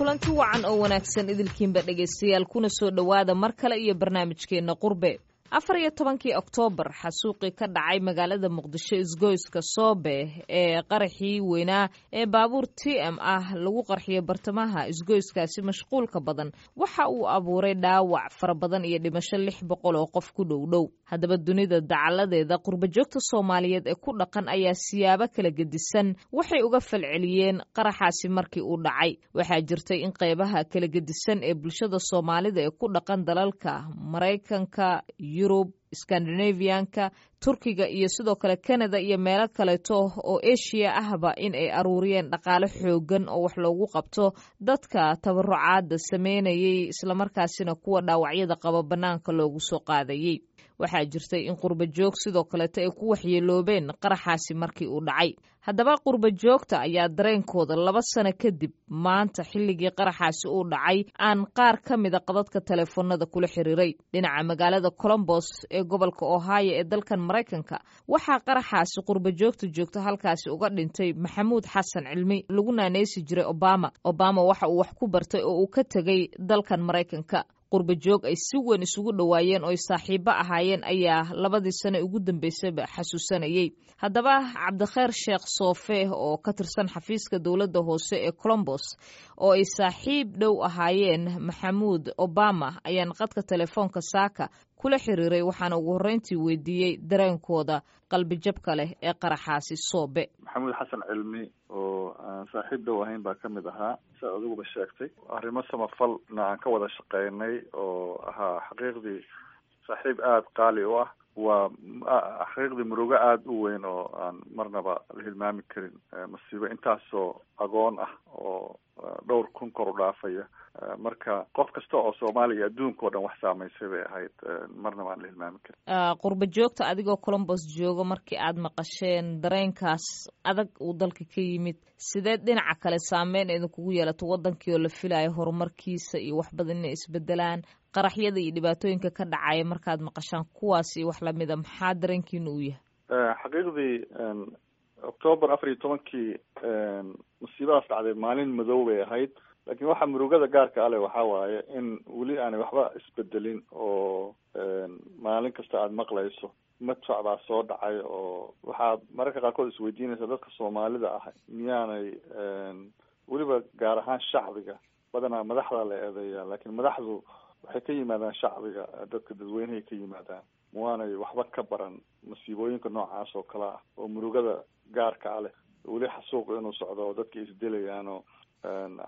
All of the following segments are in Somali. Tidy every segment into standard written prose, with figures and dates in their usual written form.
Kulanti wacan oo wanaagsan idilkiinba, dhegaystayaal, kuna soo dhowaada mar kale iyo barnaamijkeenna Qurbe. 14-kii Oktoobar, xasuuqii ka dhacay magaalada Muqdisho, isgoyska Soobe, ee qaraxii weynaa ee baabuur TM ah lagu qarxiyay bartamaha isgoyskaasi mashquulka badan, waxa uu abuuray dhaawac fara badan iyo dhimasho 600 oo qof ku dhow dhow. Haddaba, dunida dacaladeeda qurbajoogta Soomaaliyeed ee ku dhaqan ayaa siyaabo kala gedisan waxay uga falceliyeen qaraxaasi markii uu dhacay. Waxaa jirtay in qeybaha kala gedisan ee bulshada Soomaalida ee ku dhaqan dalalka Maraykanka, Yurub, Scandinavianka, Turkiga iyo sidoo kale Canada iyo meelo kaleeto oo Asia ahba in ay aruuriyeen dhaqaale xoogan oo wax loogu qabto dadka tabarucaada sameynayay, islamarkaasina kuwa dhaawacyada qaba bannaanka loogu soo qaadayey. Waxaa jirtay in qurba joog sidoo kaleeto ay ku waxyeeloobeen qaraxaasi markii uu dhacay. Haddaba, qurba joogta ayaa dareenkooda 2 sano kadib maanta, xilligii qaraxaasi uu dhacay, aan qaar ka mida qadadka teleefoonada kula xiriiray. Dhinaca magaalada Colombos ee gobolka Ohio ee dalkan Maraykanka, waxaa qaraxaasi qurba joogta joogta halkaasi uga dhintay Maxamuud Xasan Cilmi, lagu naaneysi jiray Obama. Obama waxa uu wax ku bartay oo uu ka tegey dalkan Maraykanka. Qurba joog ay si weyn isugu dhowaayeen oo ay saaxiibo ahaayeen ayaa labadii sano ugu dambeysayba xasuusanayey. Haddaba, Cabdikheer Sheekh Soofe oo ka tirsan xafiiska dowladda hoose ee Colombos oo ay saaxiib dhow ahaayeen Maxamuud Obama ayaan qadka telefoonka saaka kula xiriiray, waxaana ugu horreyntii weydiiyey dareenkooda qalbijabka leh ee qaraxaasi Soobe. Maxamuud Xasan Cilmi oo aan saaxiib dhow ahayn baa kamid ahaa. Siaad adiguba sheegtay, arrimo samafalna aan ka wada shaqeynay oo ahaa xaqiiqdii saaxiib aada qaali u ah. Waa xaqiiqdii murugo aada u weyn oo aan marnaba la hilmaami karin, masiibo intaasoo agoon ah oo dhowr kun kor u dhaafaya. Marka qof kasta oo Soomaaliya, adduunka o dhan wax saameysay bay ahayd, marnaba aan la hilmaami karin. Qurba joogta, adigoo Colombos jooga, markii aad maqasheen dareenkaas adag uu dalka ka yimid, sidee dhinaca kale saameyn idinkugu yeelato wadankii oo la filayo horumarkiisa iyo wax badan inay isbedelaan? Qaraxyada iyo dhibaatooyinka ka dhacaya markaad maqashaan kuwaas iyo wax lamida, maxaa dareenkiina uu yahay? Xaqiiqdii, Octoobar 14-kii masiibadaas dhacday maalin madow bay ahayd, laakiin waxa murugada gaarka ale waxaa waaye in weli aanay waxba isbedelin oo maalin kasta aada maqlayso madfac baa soo dhacay, oo waxaad mararka qaarkood isweydiinaysa dadka Soomaalida ah miyaanay weliba, gaar ahaan shacbiga. Badanaa madaxda la eedeeya, laakiin madaxdu waxay ka yimaadaan shacbiga, dadka dadweynehay ka yimaadaan. Waanay waxba ka baran masiibooyinka noocaas oo kale ah oo murugada gaarka ah leh, weli xasuuq inuu socdo oo dadka isdilayaan, oo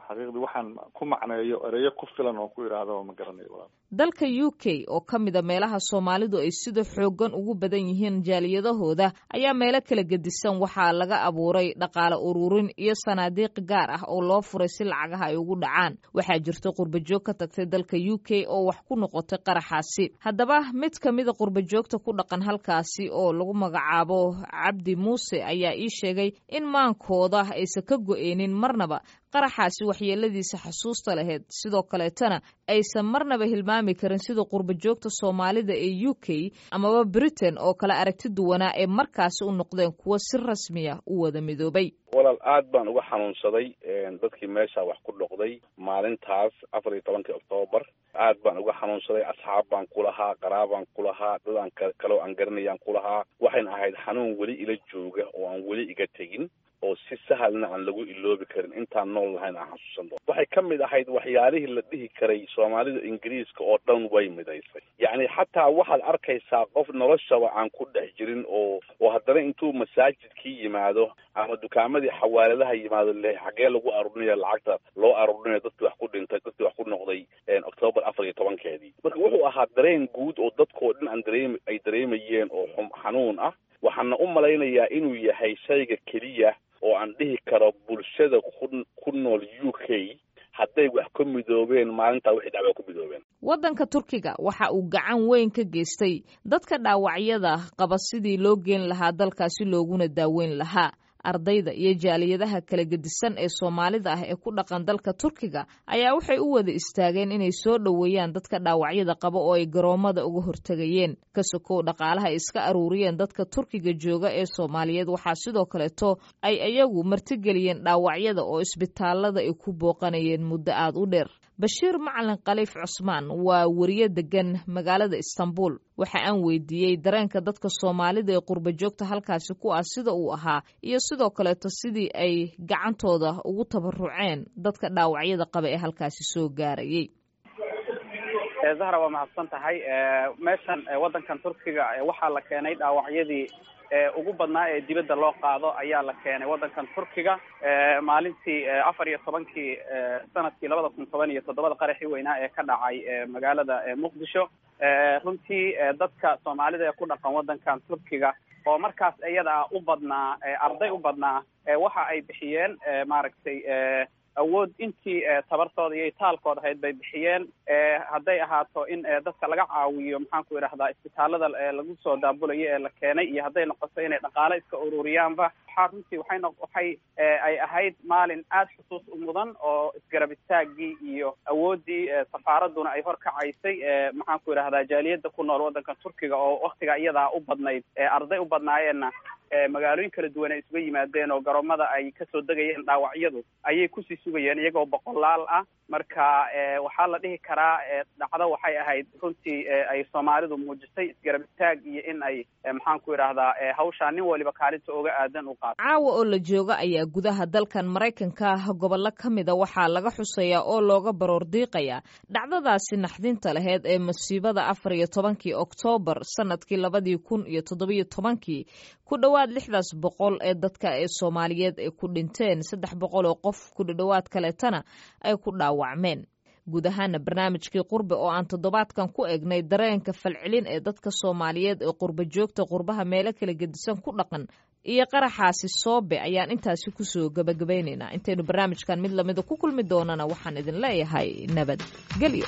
xaqiiqdii waxaan ku macneeyo ereyo ku filan oo ku idhaahdo ma garanayo, walaal. Dalka UK oo ka mida meelaha Soomaalidu ay sida xooggan ugu badan yihiin jaaliyadahooda ayaa meelo kala gedisan waxaa laga abuuray dhaqaale ururin iyo sanaadiiq gaar ah oo loo furay si lacagaha ay ugu dhacaan. Waxaa jirta qurbajoog ka tagtay dalka UK oo wax ku noqotay qaraxaasi. Haddaba, mid ka mida qurbajoogta ku dhaqan halkaasi oo lagu magacaabo Cabdi Muuse ayaa ii sheegay in maankooda aysan ka go-eynin marnaba qaraxaasi waxyeeladiisa xasuusta lahayd, sidoo kaleetana aysan marnaba hilmaami karin sida qurbajoogta Soomaalida ee UK amaba Britain oo kale aragti duwanaa ee markaasi u noqdeen kuwo si rasmiya u wada midoobay. Walaal, aad baan uga xanuunsaday dadkii meesha wax ku dhoqday maalintaas 14-kii Oktoobar. Aad baan uga xanuunsaday. Asxaab baan ku lahaa, qaraabaan ku lahaa, dad aan kaloo aan garanayaan ku lahaa. Waxayna ahayd xanuun weli ila jooga oo aan weli iga tegin oo si sahalna aan lagu iloobi karin. Intaan nool lahayn aan xasuusan doono. Waxay ka mid ahayd waxyaalihii la dhihi karay Soomaalida Ingiriiska oo dhan way midaysay. Yacni, xataa waxaad arkaysaa qof noloshaba aan ku dhex jirin oo haddana intuu masaajidkii yimaado ama dukaamadii xawaaladaha yimaado le xaggee lagu arurinaya lacagta loo aruurinayo dadkii wax ku dhintay, dadkii wax ku noqday Octoobar 14-keedii. Marka wuxuu ahaa dareen guud oo dadkoo dhan aan dareem ay dareemayeen oo xanuun ah. Waxaana u malaynayaa inuu yahay shayga keliya oo aan dhihi karo bulshada ku nool UK hadday wax ka midoobeen maalintaa wixii dhacba ku midoobeen. Waddanka Turkiga waxa uu gacan weyn ka geystay dadka dhaawacyada qaba sidii loo geen lahaa dalkaasi looguna daaweyn lahaa. Ardayda iyo jaaliyadaha kala gedisan ee Soomaalida ah ee ku dhaqan dalka Turkiga ayaa waxay u wada istaageen inay soo dhoweeyaan dadka dhaawacyada qaba oo ay garoomada uga hortegayeen. Ka sokow dhaqaalaha ay iska aruuriyeen dadka Turkiga jooga ee Soomaaliyeed, waxaa sidoo kaleeto ay iyagu martigeliyeen dhaawacyada oo isbitaalada ay ku booqanayeen muddo aada u dheer. Bashiir Macalin Khaliif Cusmaan waa weriye degan magaalada Istanbul. Waxa aan weydiiyey dareenka dadka Soomaalida ee qurba joogta halkaasi ku ah sida uu ahaa, iyo sidoo kaleeto sidii ay gacantooda ugu tabaruceen dadka dhaawacyada qaba ee halkaasi soo gaarayay. Zahra, waa mahadsan tahay. Meeshan waddankan Turkiga waxaa la keenay dhaawacyadii ugu badnaa ee dibadda loo qaado ayaa la keenay waddankan Turkiga maalintii 14-kii sanadkii 2017, qaraxii weynaa ee ka dhacay magaalada Muqdisho. Runtii dadka Soomaalida ee ku dhaqan waddankan Turkiga oo markaas iyada ah u badnaa arday u badnaa, waxa ay bixiyeen, maaragtay, awood intii tabartooda iyo itaalkooda ahayd bay bixiyeen, hadday ahaato in dadka laga caawiyo, maxaan ku idhahdaa, isbitaalada lagu soo daabulayo ee la keenay, iyo hadday noqoto inay dhaqaale iska ururiyaanba. Waxaa runtii waxay no waxay ay ahayd maalin aada xusuus u mudan oo isgarab istaaggii iyo awooddii safaaraduna ay horkacaysay, maxaan ku idhahdaa, jaaliyadda ku nool waddanka Turkiga oo waktiga iyadaa u badnayd arday u badnaayeenna, magaalooyin kala duwan ay isuga yimaadeen oo garoomada ay kasoo degayeen dhaawacyadu ayay kusii sugayeen iyagoo boqolaal ah. Marka waxaa la dhihi karaa dhacdo waxay ahayd runtii ay Soomaalidu muujisay isgarab istaag iyo in ay, maxaan ku idhaahdaa, hawshaa nin waliba kaalinta oga aadan u qaato. Caawa oo la jooga ayaa gudaha dalkan Maraykanka ah gobollo ka mida waxaa laga xusayaa oo looga baroor diiqayaa dhacdadaasi naxdinta laheyd ee masiibada 14-kii Oktoobar sanadkii 2017-kii, ku dhowaad 600 ee dadka ee Soomaaliyeed ay ku dhinteen, 300 oo qof ku dhowaad kaleetana ay ku dhaawacmeen. Guud ahaana barnaamijkii Qurbe oo aan toddobaadkan ku eegnay dareenka falcelin ee dadka Soomaaliyeed ee qurba joogta qurbaha meelo kala gedisan ku dhaqan iyo qaraxaasi Soobe ayaan intaasi kusoo gabagabaynaynaa. Intaynu barnaamijkan mid lamida ku kulmi doonana, waxaan idin leeyahay nabad gelyo.